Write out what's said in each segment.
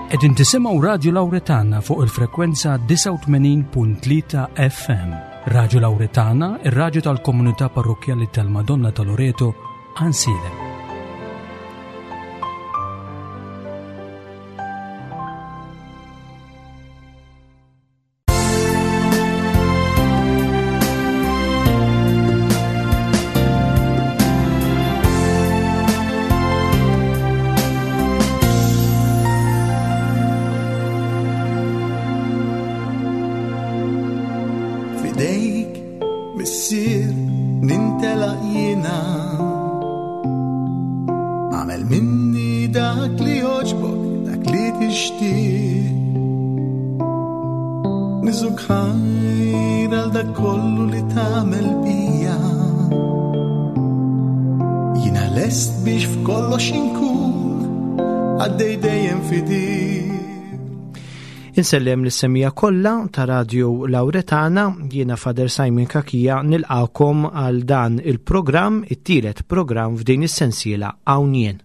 Qegħdin tisimgħu Radju Lawretana fuq il-frekwenza 89.3 FM. Radju Lawretana, ir-radju tal-komunità parrokkjali tal-Madonna ta' Loreto, Ansilem. Fidejk, missier, nintelaq jiena. Għamel minni dak li joġbok, dak li tixtieq. Niżuk ħajr għal dak kollu li tagħmel bija. Jiena lest biex f'kollox inkun għaddej dejjem fidil. Insellem lis-semija kollha ta' Radio Lauretana, jiena Father Simon Cachia nilqakom għal dan il-programm, it-tielet programm f'din is-sensiela Hawn Jien.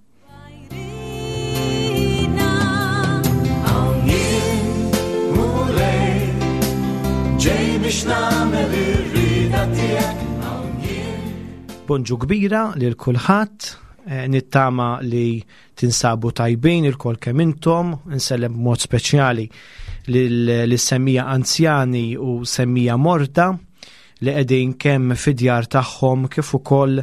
Bonġu kbira lil kulħadd, eh, nittama li tinsabu tajbin il-kol kemm intom, insellem b'mod speċjali lis-semmija anzjani u semmija morda li qegħdin kemm fid-djar tagħhom kif ukoll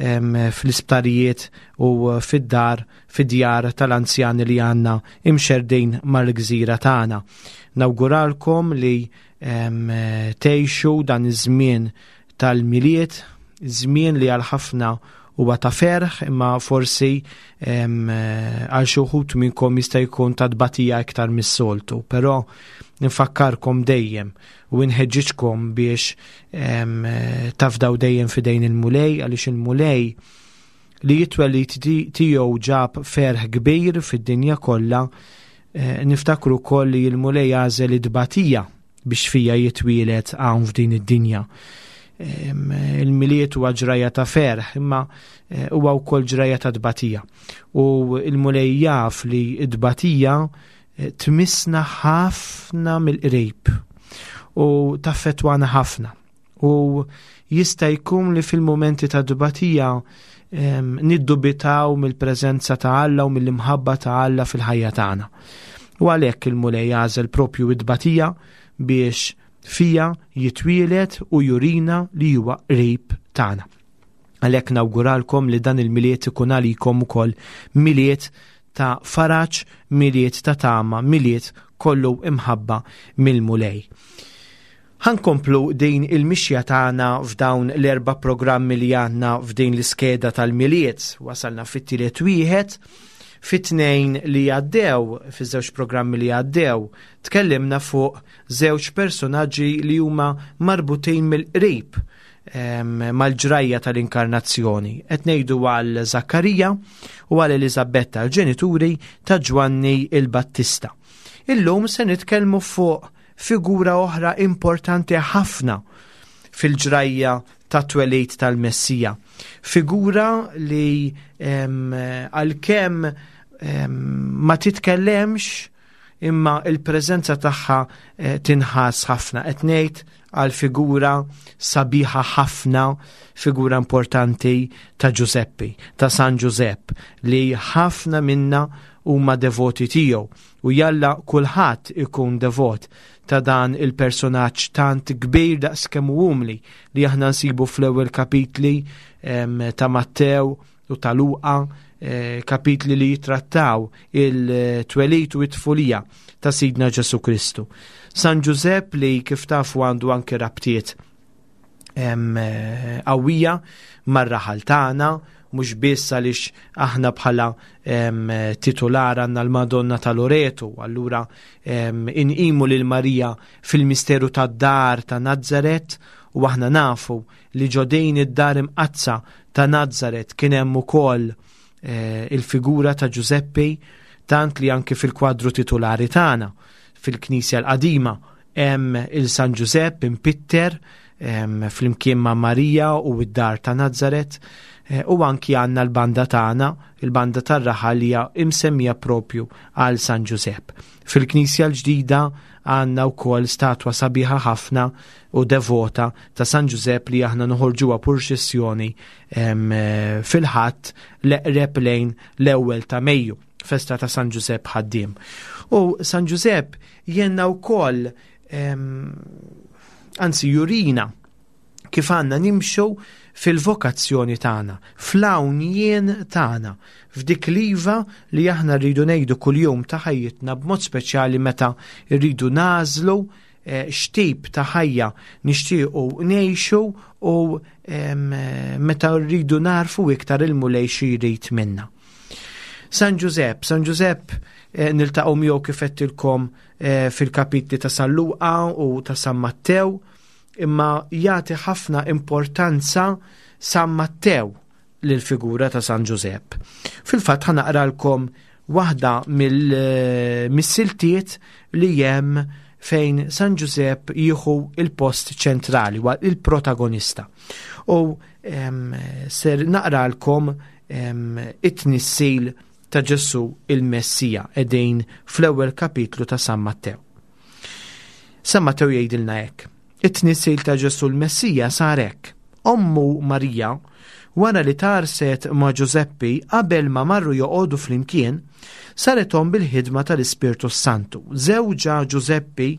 fl-isptarijiet u fid-dar fid-djar tal-anzjani li għandna imxerdin mal-gżira tagħna. Nawguralkom li tgħixu dan iż-żmien tal-Milied, żmien li għal ħafna huwa ta' ferħ imma forsi għal xi wħud minnkom jista' jkun ta' tbatija iktar mis-soltu, però nfakkarkom dejjem u nħeġġiġkom biex tafdaw dejjem fidejn il-Mulej għaliex il-Mulej li jitwelid tiegħu ġab ferħ kbir fid-dinja kollha, eh, niftakru wkoll li l-Mulej għażel it-tbatija biex fija jitwielet hawn f'din id-dinja. Il-Milied huwa ġrajja ta' ferħ, imma eh, huwa wkoll ġrajja ta' tbatija. U l-Mulej jaf li t-tbatija eh, tmissna ħafna mill-qrib u taffetwana ħafna. U jista' jkun li fil-mumenti ta' tbatija niddubitaw mill-preżenza ta' Alla u mill-imħabba ta' Alla fil-ħajja tagħna. U għalhekk il-Mulej għażel propju id-tbatija biex fija jitwielet u jurina li huwa qrib tagħna. Għalhekk nawguralkom li dan il-Milied ikun għalikom ukoll Milied ta' faraġ, Milied ta' tama, Milied kollu imħabba mill-Mulej. Ħa nkomplu din il-mixja tagħna f'dawn l-erba' programmi li għandna f'din l-iskeda tal-Milied. Wasalna fit-tielet wieħed. Fit-tnejn li għaddew, fiż-żewġ programmi li għaddew, tkellimna fuq żewġ personaġġi li huma marbutin mill-qrib mal-ġrajja tal-inkarnazzjoni. Qed ngħidu għal Zakkarija u għal Eliżabetta, l-ġenituri ta' Ġwanni il-Battista. Illum se nitkellmu fuq figura oħra importanti ħafna fil-ġrajja ta' twelid tal-Messija. Figura li għalkemm ma titkellemx imma il-preżenza tagħha eh, tinħass ħafna. Qed ngħid għal figura sabiħa ħafna, figura importanti ta' Ġużeppi, ta' San Ġużepp, li ħafna minna huma devoti tiegħu. U jalla kulħadd ikun devot ta' dan il-personaġġ tant kbir daqs kemm hu umli li aħna nsibu fl-ewwel kapitli ta' Mattew u ta' Luqa, eh, kapitli li jitrattaw il-twelid u it-tfulija ta' Sidna Ġesu Kristu. San Ġużepp li kif tafu għandu anke rabtiet qawwija mar-raħal tagħna, mhux biss għaliex aħna bħala titular għandna l-Madonna ta' Loreto, allura inqimu lil Marija fil-misteru tad-dar ta' Nazaret u aħna nafu li ġodejn id-dar imqaddsa ta' Nazaret kien hemm ukoll eh, il-figura ta' Ġużeppi tant li anki fil-kwadru titulari tagħna fil-Knisja l-Qadima Hemm il-San Ġużepp impitter flimkien ma' Marija u d-dar ta' Nazaret. Eh, u anki għandna l-banda tagħna, il-banda tar-raħal li hija imsemmija propju għal San Ġużepp. Fil-Knisja l-ġdida għandna wkoll statwa sabiħa ħafna u devota ta' San Ġużepp li aħna noħorġuha purċissjoni eh, fil-ħadd l-eqreb lejn l-ewwel ta' Mejju, festa ta' San Ġużepp ħaddiem. U San Ġużepp jenna wkoll anzi jurina kif għandna nimxu fil-vokazzjoni tagħna, fl-hawn jien tagħna, f'dik l-iva li aħna rridu ngħidu kuljum ta' ħajjitna b'mod speċjali meta rridu nagħżlu eh, x'tip ta' ħajja nixtiequ ngħixu u meta rridu narfu iktar il-Mulej xi jrid minna. San Ġużepp, San Ġużepp eh, niltaqgħu miegħu kif qedtilkom eh, fil-kapitli ta' San Luqa u ta' San Mattew, imma jagħti ħafna importanza San Mattew lill-figura ta' San Ġużepp. Fil-fatt ħa naqralkom waħda mill-siltiet li hemm fejn San Ġużepp jieħu il-post ċentrali, il-protagonista. U ser naqralkom it-tnissil ta' Ġesù il-Messija qegħdin fl-ewwel kapitlu ta' San Mattew. San Mattew jgħidilna hekk. It-tnissil ta' Ġesù l-Messija sar hekk. Ommu Marija, wara li tgħarrset ma' Ġużeppi qabel ma marru joqogħdu flimkien, saret omm bil-ħidma tal-Ispirtu s-Santu. Żewġha Ġużeppi,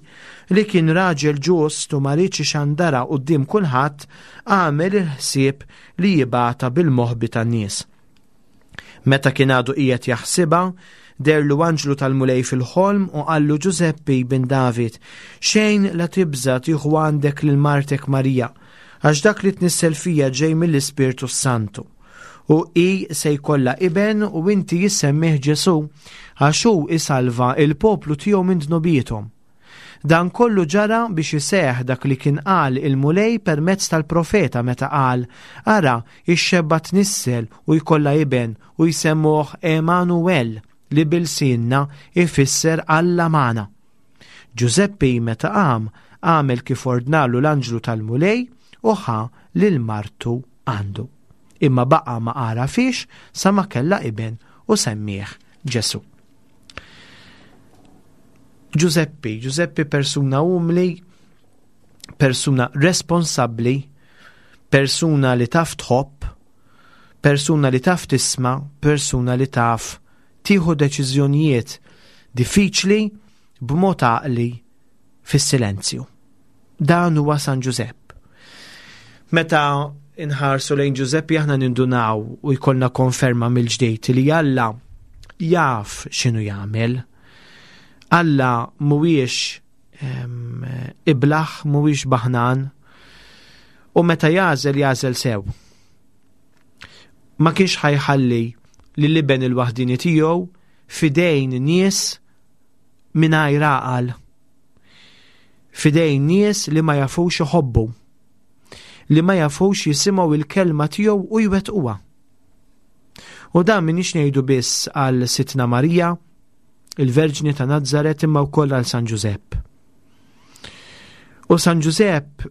li kien raġel ġust u ma riedx ixandarha quddiem kulħadd, għamel il-ħsieb li jibgħatha bil-moħbi tan-nies. Meta kien għadu qiegħed jaħsibha, deherlu anġlu tal-Mulej fil-ħolm u qallu Ġużeppi bin David, xejn la tibża' tieħu għandek lil martek Marija, għax dak li tnissel fija ġej mill-Ispirtu s-Santu. U hi se jkollha iben u inti jissemmih Ġesù, għax hu isalva il-poplu tiegħu minn dnubiethom. Dan kollu ġara biex iseħħ dak li kien qal il-Mulej permezz tal-profeta meta qal, Ara, ix-xebba tnissel u jkollha iben u jsemmuh Emanuwel, li b'ilsienna jfisser Alla magħna. Ġużeppi meta qam, għamel kif ordnalu l-anġlu tal-Mulej u ħa lil martu għandu. Imma baqa' ma għarafhiex sa ma kellha iben u semmieh Ġesù. Ġużeppi, Ġużeppi persuna umli, persuna responsabbli, persuna li taf tħobb, persuna li taf tisma', persuna li taf tieħu deċiżjonijiet diffiċli b'mod għaqli fis-silenzju. Dan huwa San Ġużepp. Meta inħarsu lejn Ġużeppi aħna nindunaw u jkollna konferma mill-ġdejt li Alla jaf x'inhu jagħmel. Alla mhuwiex ehm, iblaħ, mhuwiex baħnan u meta jagħżel jagħżel sew. Ma kienx ħajħalli li liben il-waħdini tiegħu fidejn nies mingħajr għaqal. Fidejn nies li ma jafux iħobbu, li ma jafux jisimgħu il-kelma tiegħu u jwettquha. U dan minix ngħidu biss għal Sitna Marija, il-Verġni ta' Nazzaret imma wkoll għal San Ġużepp. U San Ġużepp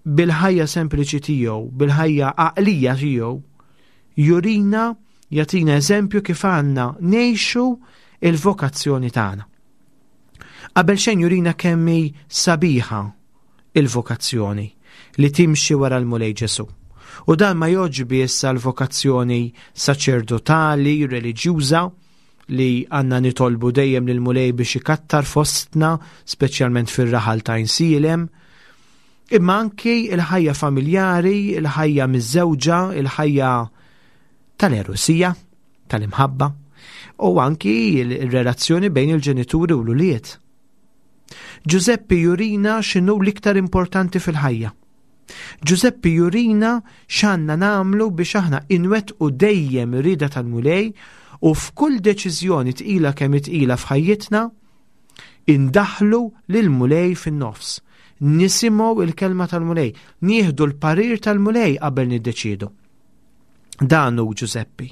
bil-ħajja sempliċi tiegħu, bil-ħajja għaqlija tiegħu, jurina jagħtina eżempju kif għandna ngħixu il-vokazzjoni tagħna. Qabel xejn jurina kemm hi sabiħa il-vokazzjoni li timxi wara l-Mulej Ġesu. U dan ma joġ biss għal vokazzjoni saċerdotali, reliġjuża, li għanna nitolbu dejjem lil mulej biex ikattar fostna, speċjalment fir-raħal ta' Insielem, imma anki il-ħajja familjari, il-ħajja miż-żewġa, il-ħajja tal-erusija, tal-imħabba, u anki il-relazzjoni bejn il-ġenituri u l-ulied. Ġużeppi jurina x'inhu l-iktar importanti fil-ħajja. Ġużeppi jurina x'għandna nagħmlu biex aħna inwettqu dejjem ir-rieda tal-Mulej u f'kull deċiżjoni tqila kemm tqila f'ħajjitna indaħlu lil Mulej fin-nofs. Nisimgħu il-kelma tal-Mulej, nieħdu l-parir tal-Mulej qabel niddeċiedu. Dan hu Ġużeppi.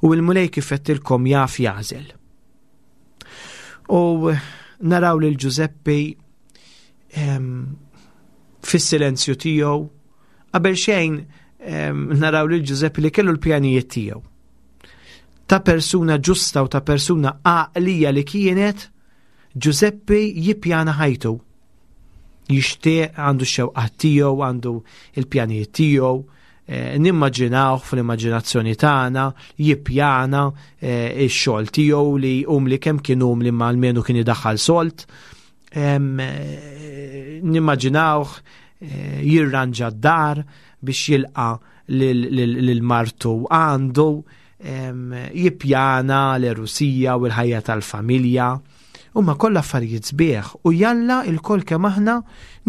U l-Mulej kif għedtilkom jaf jagħżel. U naraw lil Ġużeppi fis-silenzju tiegħu qabel xejn naraw lil Ġużeppi li kellu l-pjanijiet tiegħu. Ta' persuna ġusta u ta' persuna għaqlija li kienet, Ġużeppi jippjana ħajtu. Jixtieq għandu x-xewqat tiegħu, għandu il-pjanijiet tiegħu, eh, nimmaġinawh fl-immaġinazzjoni tagħna, jippjana eh, ix-xogħol tiegħu li umli kemm kien umli ma almenu kien idaħħal solt. Eh, nimmaġinawh jirranġa d-dar biex jilqa lil martu għandu, jippjana l-erusija u l-ħajja tal-familja. Huma kollha affarijiet sbieħ u jalla il-koll kemm aħna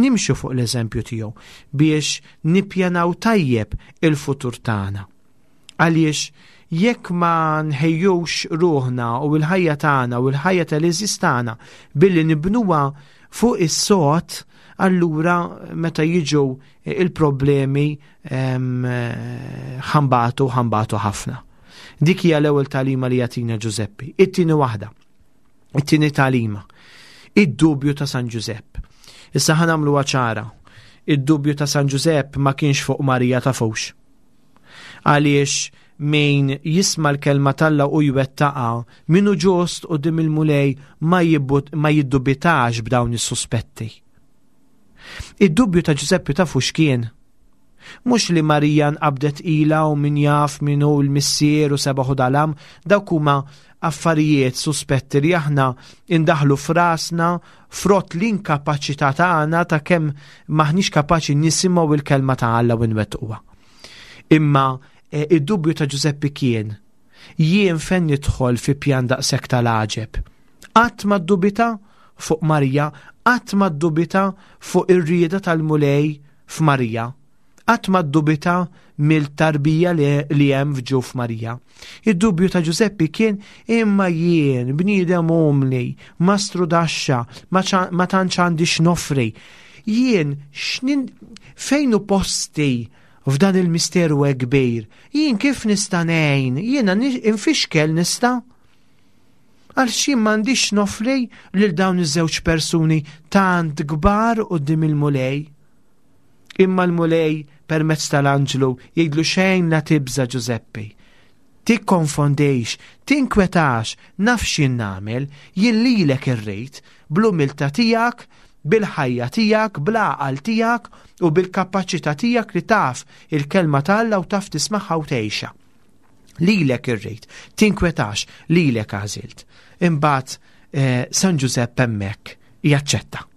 nimxu fuq l-eżempju tiegħu biex nippjanaw tajjeb il-futur tagħna. Għaliex jekk ma nħejjux ruħna u l-ħajja tagħna u l-ħajja tal-eżis tagħna billi nibnuha fuq is-sod, allura meta jiġu il-problemi ħambatu ħambatu ħafna. Dik hija l-ewwel tagħlima li jagħtina Ġużeppi. It-tieni waħda, it-tieni tagħlima, id-dubju ta' San Ġużepp. Issa ħa nagħmluha ċara. Id-dubju ta' San Ġużepp ma kienx fuq Marija tafux. Għaliex min jisma' l-kelma t'Alla u jwettaqha, min hu ġust quddiem il-Mulej ma jiddubitax b'dawn is-suspetti. Id-dubju ta' Ġużeppi tafu x'kien? Mhux li Marija nqabdet ilha u min jaf min hu l-missier u sebaħ u dalam, dawk huma affarijiet suspetti li aħna indaħlu f'rasna frott l-inkapaċità tagħna ta' kemm m'aħniex kapaċi nisimgħu il-kelma ta' Alla u nwettquha. Imma eh, id-dubju ta' Ġużeppi kien jien fejn nidħol fi pjan daqshekk tal-għaġeb. Qatt ma ddubita fuq Marija, qatt ma ddubita fuq ir-rieda tal-Mulej f'Marija. Qatt ma ddubita mill-tarbija li hemm f'ġuf Marija. Id-dubju ta' Ġużeppi kien imma jien bniedem umli, mastru daxxa, ma tantx għandi x'nofri. Jien x'nin fejn hu posti f'dan il-misteru hekk kbir? Jien kif nista' ngħin? Jiena infixkel nista'? Għal xi m'għandix nofri lil dawn iż-żewġ persuni tant kbar quddiem il-Mulej. Imma l-Mulej permezz tal-anġlu jgħidlu xejn la tibża' Ġużeppi. Tikkonfondix, tinkwetax, naf x'jien nagħmel, jien lilek irrid, bl-umiltà tiegħek, bil-ħajja tiegħek, bl-għaqal tiegħek u bil-kapaċità tiegħek li taf il-kelma ta' Alla u taf tismagħha u tgħixha. Lilek irrid, tinkwetax, lilek għażilt. Imbagħad eh, San Ġużepp hemmhekk jaċċetta.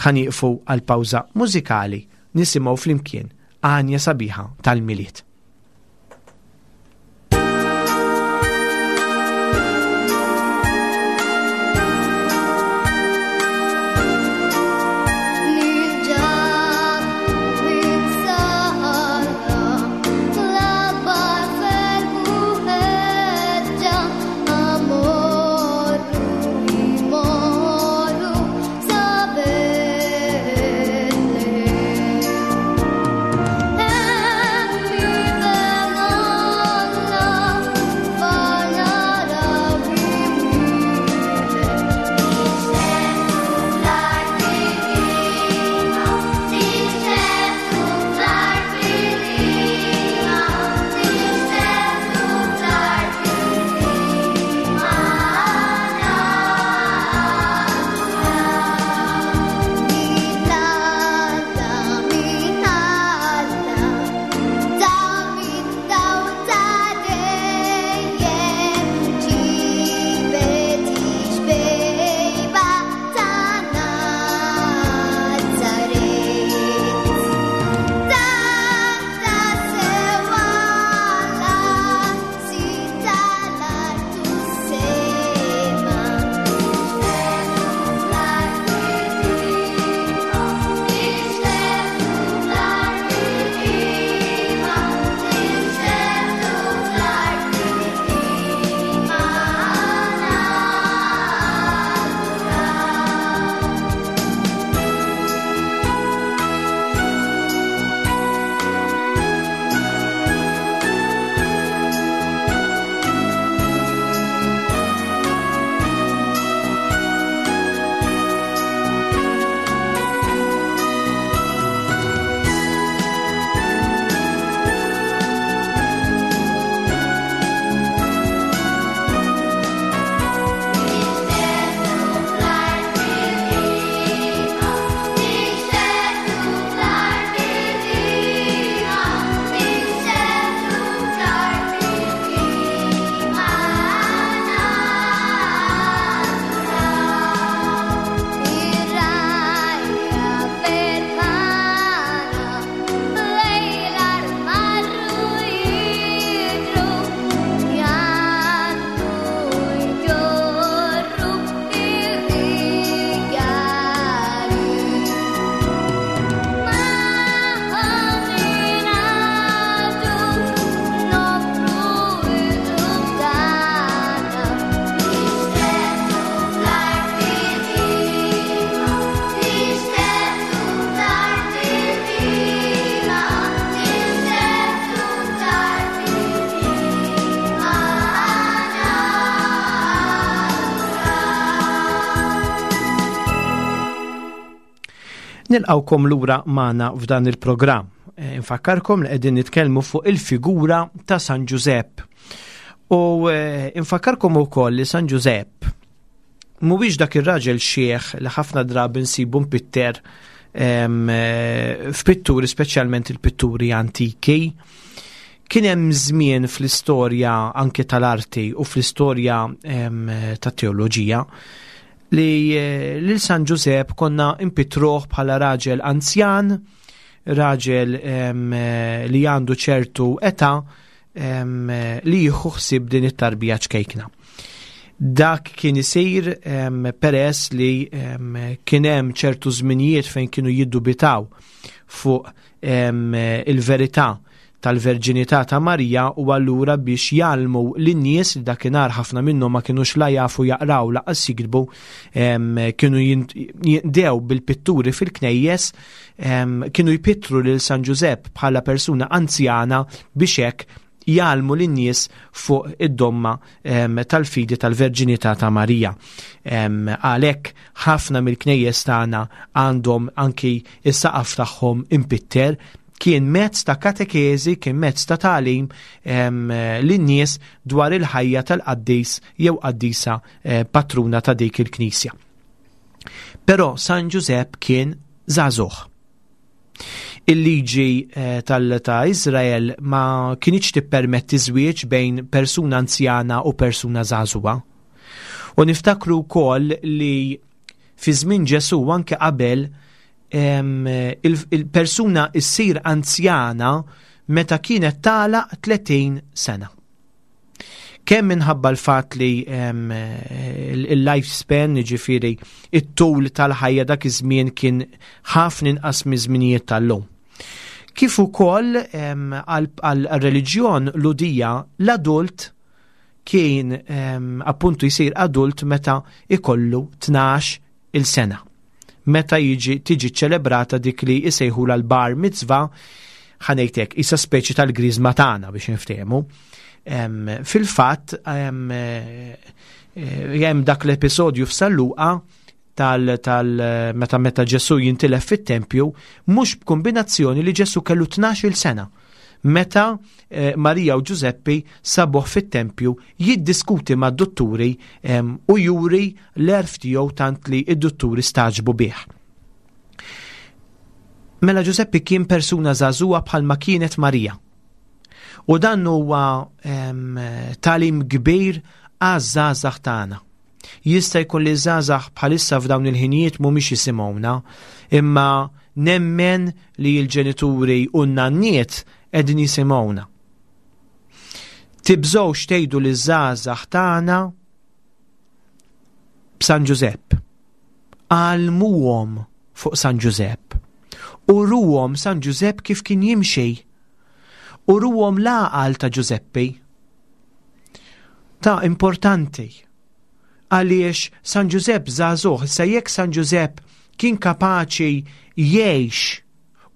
Ħa nieqfu għal pawża mużikali nisimgħu flimkien għanja sabiħa tal-Milied. Nilqgħukom lura magħna f'dan il-programm. Eh, infakkarkom li qegħdin nitkellmu fuq il-figura ta' San Ġużepp. U eh, infakkarkom ukoll li San Ġużepp mhuwiex dak ir-raġel xieħ li ħafna drabi nsibu mpitter eh, f'pitturi speċjalment il-pitturi antiki. Kien hemm żmien fl-istorja anke tal-arti u fl-istorja tat-teoloġija li eh, lil San Ġużepp konna impitruh bħala raġel anzjan, raġel eh, li għandu ċertu età li jieħu ħsieb din it-tarbija ċkejkna. Dak kien isir peress li kien hemm ċertu żminijiet fejn kienu jiddubitaw fuq il-verità tal-verġinità ta' Marija u allura biex jgħallmu lin-nies li dakinhar ħafna minnhom ma kinux la jafu jaqraw laqas jiktbu kienu jinqdew bil-pitturi fil-knejjes kienu jpittru lil San Ġużepp bħala persuna anzjana biex hekk jgħallmu lin-nies fuq id-domma tal-fidi tal-verġinità ta' Marija. Għalhekk ħafna mill-knejjes tagħna għandhom anki is-saqaf tagħhom impitter kien mezz ta' katekeżi, kien mezz ta' tagħlim lin-nies dwar il-ħajja tal-qaddis jew qaddisa eh, patruna ta' dik il-knisja. Però San Ġużepp kien żagħżugħ. Il-liġi eh, tal ta' Izrael ma kinitx tippermetti żwieġ bejn persuna anzjana u persuna żagħżugħa. U niftakru wkoll li fi żmien Ġesù anke qabel il-persuna issir anzjana meta kienet tagħlaq 30 sena. Kemm minħabba l-fatt li il-lifespan, ġifieri it-tul tal-ħajja dak iż-żmien kien ħafna inqas miż-żminijiet tal-lum. Kif ukoll għal-reliġjon Lhudija l-adult kien appuntu jsir adult meta ikollu 12 il-sena. Meta jiġi tiġi ċelebrata dik li jsejħulha l-bar mitzvah, ħa ngħid hekk, isa speċi tal-griżma tagħna biex niftehmu. Fil-fatt hemm eh, dak l-episodju f'San Luqa tal, tal meta meta Ġesu jintilef fit-tempju, mhux b'kombinazzjoni li Ġesu kellu 12-il sena. Meta eh, Marija u Ġużeppi sabuh fit-tempju jiddiskuti mad-dutturi u juri l-għerf tiegħu tant li id-dutturi staġbu bih. Mela Ġużeppi kien persuna żagħżugħa bħalma kienet Marija. U dan huwa talim kbir għaż-żgħażagħ tagħna. Jista' jkun li żgħażagħ bħalissa f'dawn il-ħinijiet mhumiex jisimgħuna, imma nemmen li l-ġenituri u n-nanniet qegħdin jisimgħuna. Tibżgħux tgħidu li żgħażagħ tagħna b'San Ġużepp. Għallmuhom fuq San Ġużepp. Uruhom San Ġużepp kif kien jimxi. Uruhom l-għaqal ta' Ġużeppi. Ta' importanti. Għaliex San Ġużepp żagħżugħ, issa jekk San Ġużepp kien kapaċi jgħix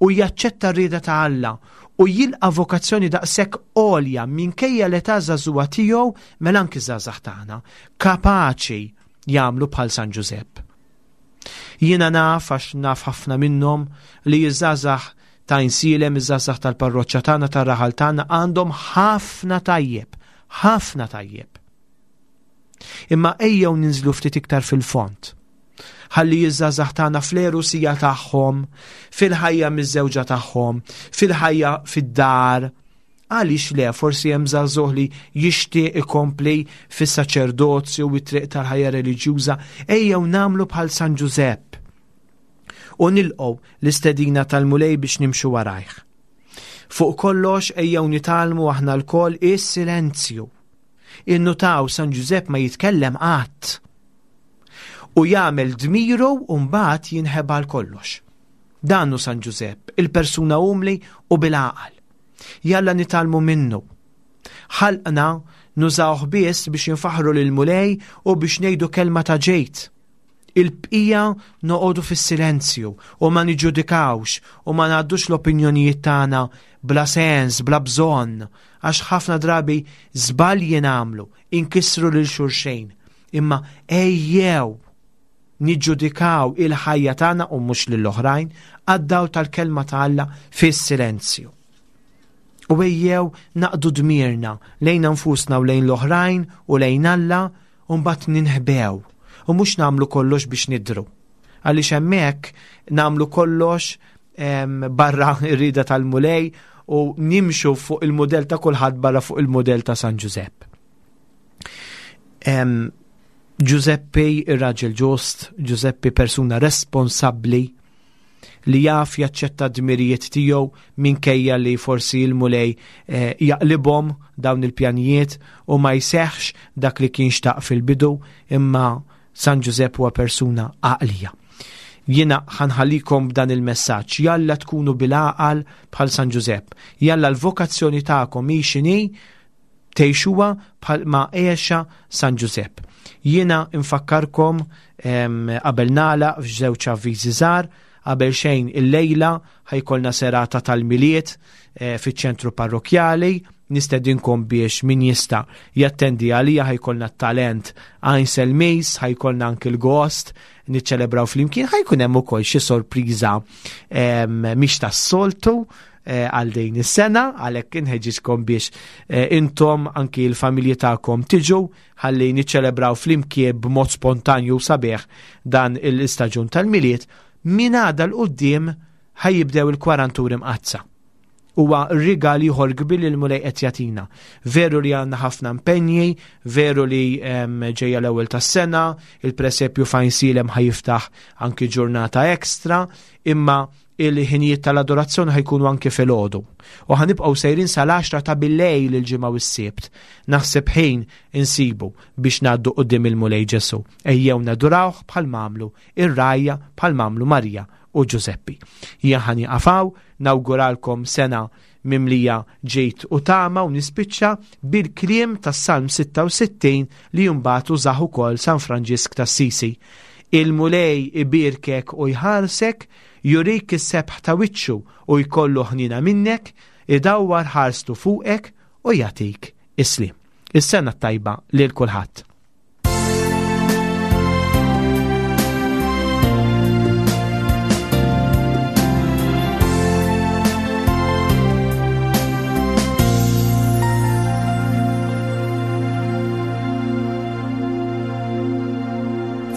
u jaċċetta r-rieda ta' Alla u jilqa' vokazzjoni daqshekk għolja minkejja l-età żagħżugħa tiegħu mela anki żgħażagħ tagħna kapaċi jagħmlu bħal San Ġużepp. Jiena naf għax naf ħafna minnhom li ż-żgħażagħ ta' Insielem, iż-żgħażagħ tal-parroċċa tagħna, tar-raħal tagħna għandhom ħafna tajjeb, ħafna tajjeb. Imma ejjew ninżlu ftit iktar fil-fond. Ħalli iż-żgħażagħ tagħna fl-erusija tagħhom, fil-ħajja miż-żewġa tagħhom, fil-ħajja fid-dar, Għaliex le, forsi hemm żagħżugħ li jixtieq ikompli fis-saċerdozju u t-triq tal-ħajja reliġjuża, ejjew nagħmlu bħal San Ġużepp u nilqgħu l-istedina tal-Mulej biex nimxu warajh. Fuq kollox ejjew nitgħallmu aħna lkoll is-silenzju. Innutaw San Ġużepp ma jitkellem qatt u jagħmel dmiru u mbagħad jinħeba għal kollox. Dan hu San Ġużepp, il-persuna umli u bil-għaqal. Jalla nitgħallmu minnu. Ħalqna nużawh biss biex infaħħru lill-Mulej u biex ngħidu kelma ta' ġejt. Il-bqija noqogħdu fis-silenzju u ma niġġudikawx u ma ngħaddux l-opinjonijiet tagħna bla sens, bla bżonn, għax ħafna drabi żbalji nagħmlu, inkissru lil xulxejn. Imma ejjew! niġġudikaw il-ħajja tagħna u mhux lill-oħrajn għad-dawl tal-kelma ta' Alla fis-silenzju. U ejjew naqdu dmirna lejn nfusna u lejn l-oħrajn u lejn Alla u mbagħad ninħbew u mhux nagħmlu kollox biex nidhru. Għaliex hemmhekk nagħmlu kollox barra r-rieda tal-Mulej u nimxu fuq il-mudell ta' kulħadd barra fuq il-mudell ta' San Ġużepp. Ġużeppi ir-raġel ġust, Ġużeppi persuna responsabbli li jaf jaċċetta d-dmirijiet tiegħu minkejja li forsi l-Mulej eh, jaqlibhom dawn il-pjanijiet u ma jseħħx dak li kien xtaq fil-bidu imma San Ġużepp huwa persuna għaqlija. Jiena ħanħallikom b'dan il-messaġġ, jalla tkunu bil-għaqal bħal San Ġużepp. Jalla l-vokazzjoni tagħkom hi x'inhi tgħixuha bħal ma għexa San Ġużepp. Jiena nfakkarkom qabel nagħlaq f'żewġ avviżi żgħar, qabel xejn illejla ħajkolna serata tal-Milied eh, fiċ-ċentru parrokjali, nistedinkom biex min jista' jattendi għalija ħajkolna t-talent Ainsel Mis, ħajkolna anki l-gost niċċelebraw flimkien, ħajkun hemm ukoll xi sorpriża mhix tas-soltu Eh, għal din is-sena, għalhekk inħeġġiġkom biex eh, intom anki l-familji tagħkom tiġu ħalli niċċelebraw flimkien b'mod spontanju sabiħ dan l-istaġun tal-Milied minn għada l-qudiem ħajjibdew il-kwaranturi mqazza. Huwa rigal ieħor kbir li l-Mulej qed jagħtina. Veru li għandna ħafna impenji, veru li ġejja l-ewwel tas-sena, il-presepju fejn silem ħajiftaħ anki ġurnata ekstra, imma Il-ħinijiet tal-adorazzjoni ħajkunu anke filgħodu. U ħanibqgħu sejrin sal-10 ta' billejl il-ġimgħa u s-Sibt. Naħseb ħin insibu biex ngħaddu quddiem il-Mulej Ġesù. Ejjew nadurawh bħal m'għamlu ir-rgħajja bħal m'għamlu Marija u Ġużeppi. Jien ħa nieqaf hawn, nawguralkom sena mimlija ġid u tama u nispiċċa bil-kliem tas-Salm 66 li mbagħad użah ukoll San Franġisk t'Assisi. Il-Mulej ibierkek u jħarsek, jurik is-sebħ ta' wiċċu u jkollu ħniena minnek, idawwar ħarstu fuqek u jagħtik is-sliem. Is-sena t-tajba lil kulħadd.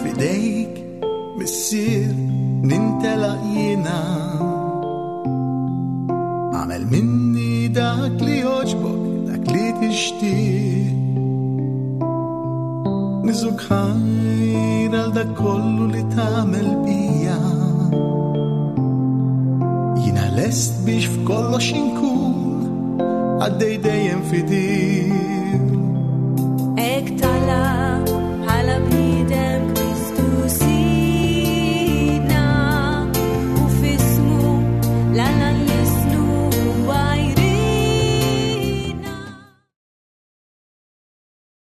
Fidejk, missier, nintelaq jiena. Għamel minni dak li joġbok, dak li tixtieq. Niżuk ħajr għal dak kollu li tagħmel bija. Jiena lest biex f'kollox inkun għaddej dejjem fidil.